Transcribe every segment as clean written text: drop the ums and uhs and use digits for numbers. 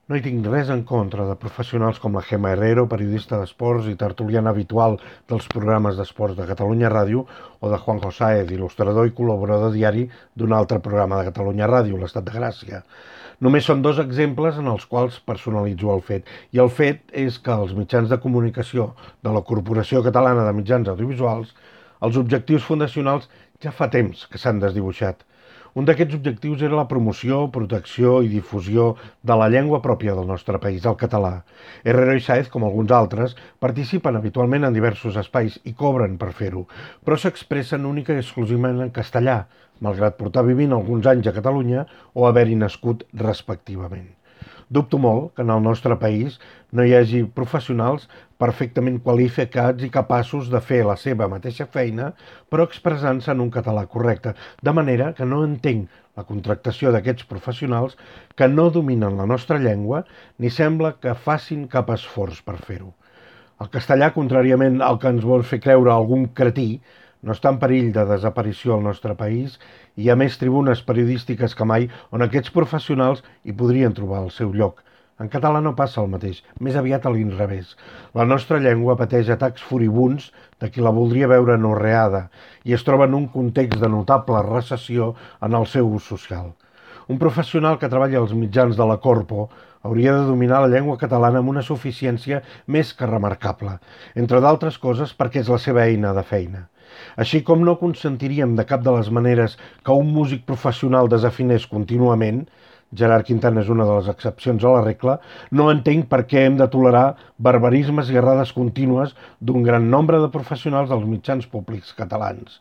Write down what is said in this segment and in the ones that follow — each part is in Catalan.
No hi tinc res en contra de professionals com la Gemma Herrero, periodista d'esports i tertuliana habitual dels programes d'esports de Catalunya Ràdio, o de Juanjo Sáez, il·lustrador i col·laborador diari d'un altre programa de Catalunya Ràdio, l'Estat de Gràcia. Només són dos exemples en els quals personalitzo el fet. I el fet és que els mitjans de comunicació de la Corporació Catalana de Mitjans Audiovisuals, els objectius fundacionals ja fa temps que s'han desdibuixat. Un d'aquests objectius era la promoció, protecció i difusió de la llengua pròpia del nostre país, el català. Herrero i Sáez, com alguns altres, participen habitualment en diversos espais i cobren per fer-ho, però s'expressen única i exclusivament en castellà, malgrat portar vivint alguns anys a Catalunya o haver-hi nascut respectivament. Dubto molt que en el nostre país no hi hagi professionals perfectament qualificats i capaços de fer la seva mateixa feina, però expressant-se en un català correcte, de manera que no entenc la contractació d'aquests professionals que no dominen la nostra llengua ni sembla que facin cap esforç per fer-ho. El castellà, contràriament al que ens vol fer creure algun cretí, no està en perill de desaparició al nostre país i hi ha més tribunes periodístiques que mai on aquests professionals hi podrien trobar el seu lloc. En català no passa el mateix, més aviat a l'inrevés. La nostra llengua pateix atacs furibunds de qui la voldria veure anorreada i es troba en un context de notable recessió en el seu ús social. Un professional que treballa als mitjans de la Corpo hauria de dominar la llengua catalana amb una suficiència més que remarcable, entre d'altres coses perquè és la seva eina de feina. Així com no consentiríem de cap de les maneres que un músic professional desafinés contínuament, Gerard Quintana és una de les excepcions a la regla, no entenc per què hem de tolerar barbarismes i errades contínues d'un gran nombre de professionals dels mitjans públics catalans.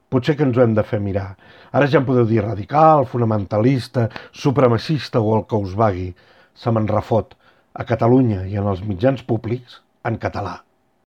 Potser que ens ho hem de fer mirar. Ara ja en podeu dir radical, fonamentalista, supremacista o el que us vagui. Se me'n refot. A Catalunya i en els mitjans públics, en català.